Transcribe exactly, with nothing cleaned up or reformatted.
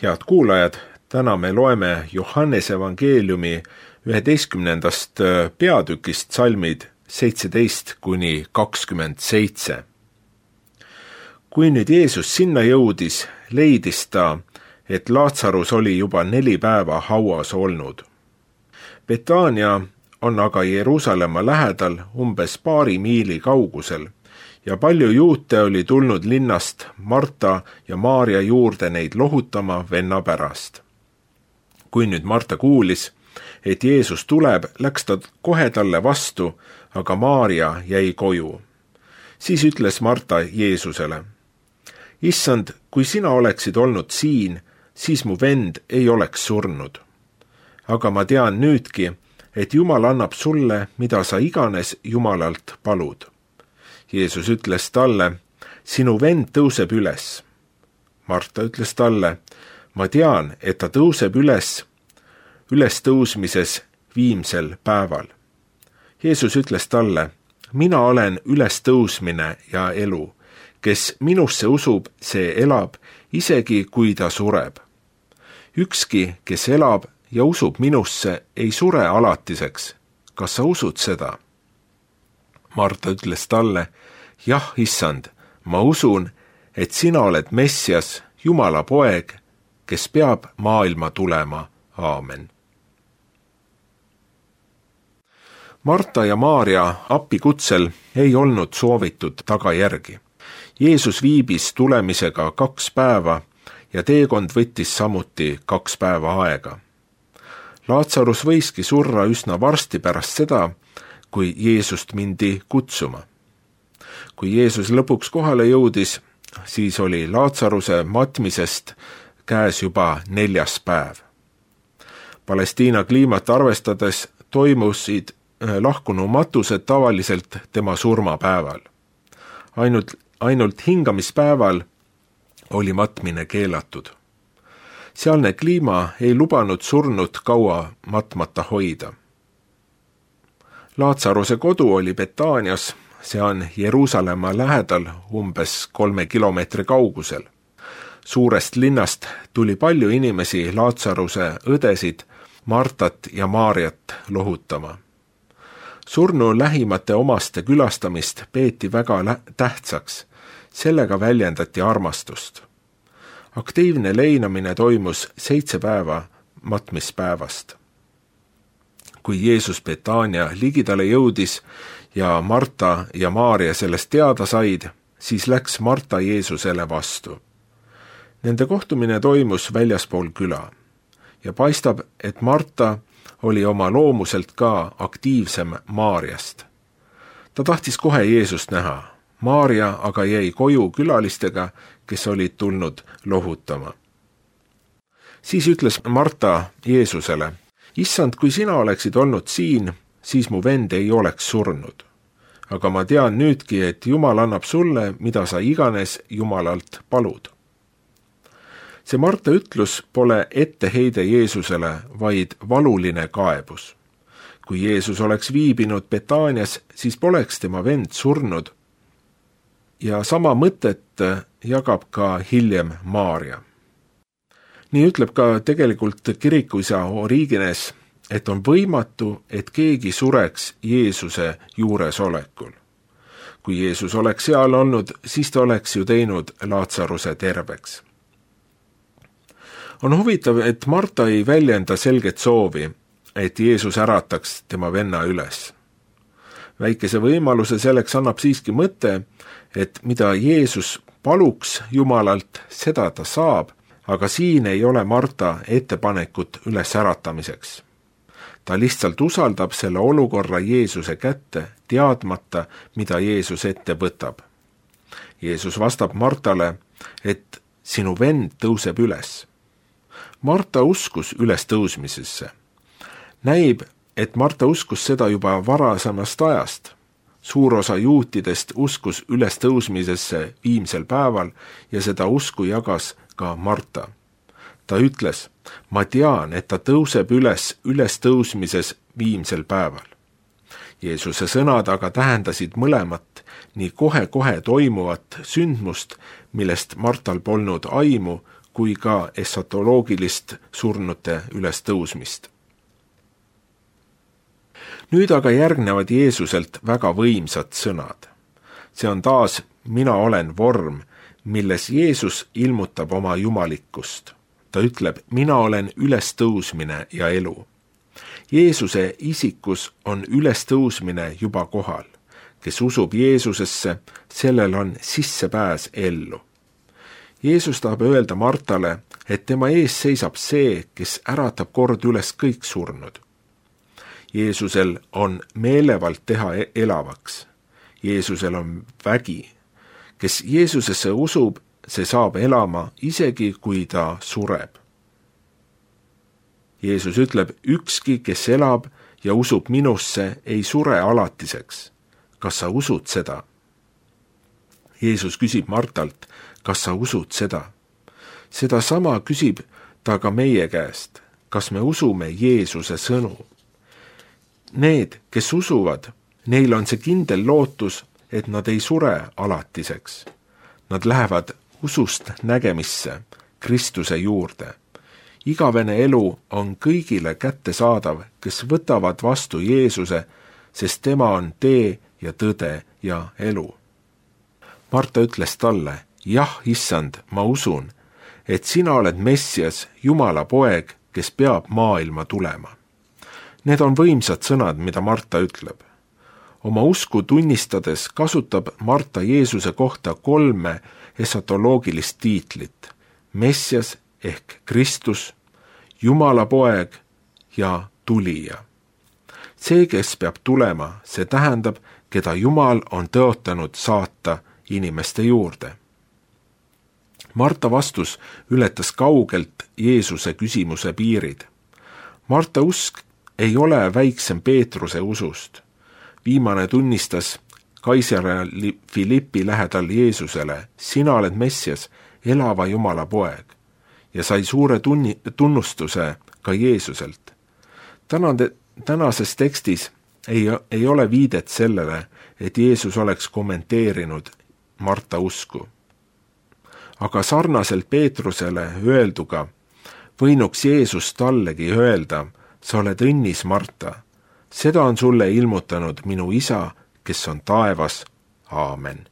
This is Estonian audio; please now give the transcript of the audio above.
Head kuulajad, täna me loeme Johannese evangeeliumi üheteistkümnendast peatükist salmid seitseteist kuni kakskümmend seitse. Kui nüüd Jeesus sinna jõudis, leidis ta, et Laatsarus oli juba neli päeva hauas olnud. Betania on aga Jeruusalemma lähedal umbes paari miili kaugusel ja palju juute oli tulnud linnast Marta ja Maarja juurde neid lohutama venna pärast. Kui nüüd Marta kuulis, et Jeesus tuleb, läks ta kohe talle vastu, aga Maarja jäi koju. Siis ütles Marta Jeesusele: Issand, kui sina oleksid olnud siin, siis mu vend ei oleks surnud. Aga ma tean nüüdki, et Jumal annab sulle, mida sa iganes Jumalalt palud. Jeesus ütles talle: sinu vend tõuseb üles. Marta ütles talle: ma tean, et ta tõuseb üles, üles tõusmises viimsel päeval. Jeesus ütles talle: mina olen üles tõusmine ja elu. Kes minusse usub, see elab, isegi kui ta sureb. Ükski, kes elab ja usub minusse, ei sure alatiseks. Kas sa usud seda? Marta ütles talle: jah, issand, ma usun, et sina oled Messias, Jumala poeg, kes peab maailma tulema. Aamen. Marta ja Maarja appikutsel ei olnud soovitud tagajärgi. Jeesus viibis tulemisega kaks päeva ja teekond võttis samuti kaks päeva aega. Laatsarus võiski surra üsna varsti pärast seda, kui Jeesust mindi kutsuma. Kui Jeesus lõpuks kohale jõudis, siis oli Laatsaruse matmisest käes juba neljas päev. Palestiina kliimat arvestades toimusid lahkunu matused tavaliselt tema surmapäeval. Ainult, ainult hingamispäeval oli matmine keelatud. Sealne kliima ei lubanud surnut kaua matmata hoida. Laatsaruse kodu oli Betanias, see on Jeruusalemma lähedal umbes kolme kilomeetri kaugusel. Suurest linnast tuli palju inimesi Laatsaruse õdesid, Martat ja Maarjat lohutama. Surnu lähimate omaste külastamist peeti väga lä- tähtsaks, sellega väljendati armastust. Aktiivne leinamine toimus seitse päeva matmispäevast. Kui Jeesus Betania ligidale jõudis ja Marta ja Maarja sellest teada said, siis läks Marta Jeesusele vastu. Nende kohtumine toimus väljaspool küla ja paistab, et Marta oli oma loomuselt ka aktiivsem Maarjast. Ta tahtis kohe Jeesust näha. Maarja aga jäi koju külalistega, kes olid tulnud lohutama. Siis ütles Marta Jeesusele: issand, kui sina oleksid olnud siin, siis mu vend ei oleks surnud. Aga ma tean nüüdki, et Jumal annab sulle, mida sa iganes Jumalalt palud. See Marta ütlus pole etteheide Jeesusele, vaid valuline kaebus. Kui Jeesus oleks viibinud Betanias, siis poleks tema vend surnud. Ja sama mõtet jagab ka hiljem Maarja. Nii ütleb ka tegelikult kirikuisa Origenes, et on võimatu, et keegi sureks Jeesuse juuresolekul. Kui Jeesus oleks seal olnud, siis ta oleks ju teinud Laatsaruse terveks. On huvitav, et Marta ei väljenda selget soovi, et Jeesus ärataks tema venna üles. Väikese võimaluse selleks annab siiski mõte, et mida Jeesus paluks Jumalalt, seda ta saab, aga siin ei ole Marta ettepanekut üles äratamiseks. Ta lihtsalt usaldab selle olukorra Jeesuse kätte, teadmata, mida Jeesus ette võtab. Jeesus vastab Martale, et sinu vend tõuseb üles. Marta uskus üles tõusmisesse. Näib, et Marta uskus seda juba varasemast ajast. Suur osa juutidest uskus üles tõusmisesse viimsel päeval ja seda usku jagas ka Marta. Ta ütles: ma tean, et ta tõuseb üles üles tõusmises viimsel päeval. Jeesuse sõnad aga tähendasid mõlemat, nii kohe-kohe toimuvat sündmust, millest Martal polnud aimu, kui ka esotoloogilist surnute ülestõusmist. Nüüd aga järgnevad Jeesuselt väga võimsad sõnad. See on taas mina olen vorm, milles Jeesus ilmutab oma jumalikkust. Ta ütleb, mina olen ülestõusmine ja elu. Jeesuse isikus on ülestõusmine juba kohal. Kes usub Jeesusesse, sellel on sissepääs ellu. Jeesus tahab öelda Martale, et tema ees seisab see, kes äratab kord üles kõik surnud. Jeesusel on meelevald teha elavaks. Jeesusel on vägi. Kes Jeesusesse usub, see saab elama, isegi kui ta sureb. Jeesus ütleb, ükski, kes elab ja usub minusse, ei sure alatiseks. Kas sa usud seda? Jeesus küsib Martalt, kas sa usud seda? Seda sama küsib ta ka meie käest. Kas me usume Jeesuse sõnu? Need, kes usuvad, neil on see kindel lootus, et nad ei sure alatiseks. Nad lähevad usust nägemisse, Kristuse juurde. Igavene elu on kõigile kättesaadav, kes võtavad vastu Jeesuse, sest tema on tee ja tõde ja elu. Marta ütles talle, jah, issand, ma usun, et sina oled Messias, Jumala poeg, kes peab maailma tulema. Need on võimsad sõnad, mida Marta ütleb. Oma usku tunnistades kasutab Marta Jeesuse kohta kolme esotoloogilist tiitlit. Messias ehk Kristus, Jumala poeg ja tulija. See, kes peab tulema, see tähendab, keda Jumal on tõotanud saata inimeste juurde. Marta vastus ületas kaugelt Jeesuse küsimuse piirid. Marta usk ei ole väiksem Peetruse usust. Viimane tunnistas Kaisar Filippi lähedal Jeesusele, sina oled Messias, elava Jumala poeg, ja sai suure tunni, tunnustuse ka Jeesuselt. Tänande, tänases tekstis ei, ei ole viidet sellele, et Jeesus oleks kommenteerinud Marta usku. Aga sarnaselt Peetrusele öelduga võinuks Jeesus tallegi öelda, sa oled õnnis, Marta. Seda on sulle ilmutanud minu isa, kes on taevas. Aamen.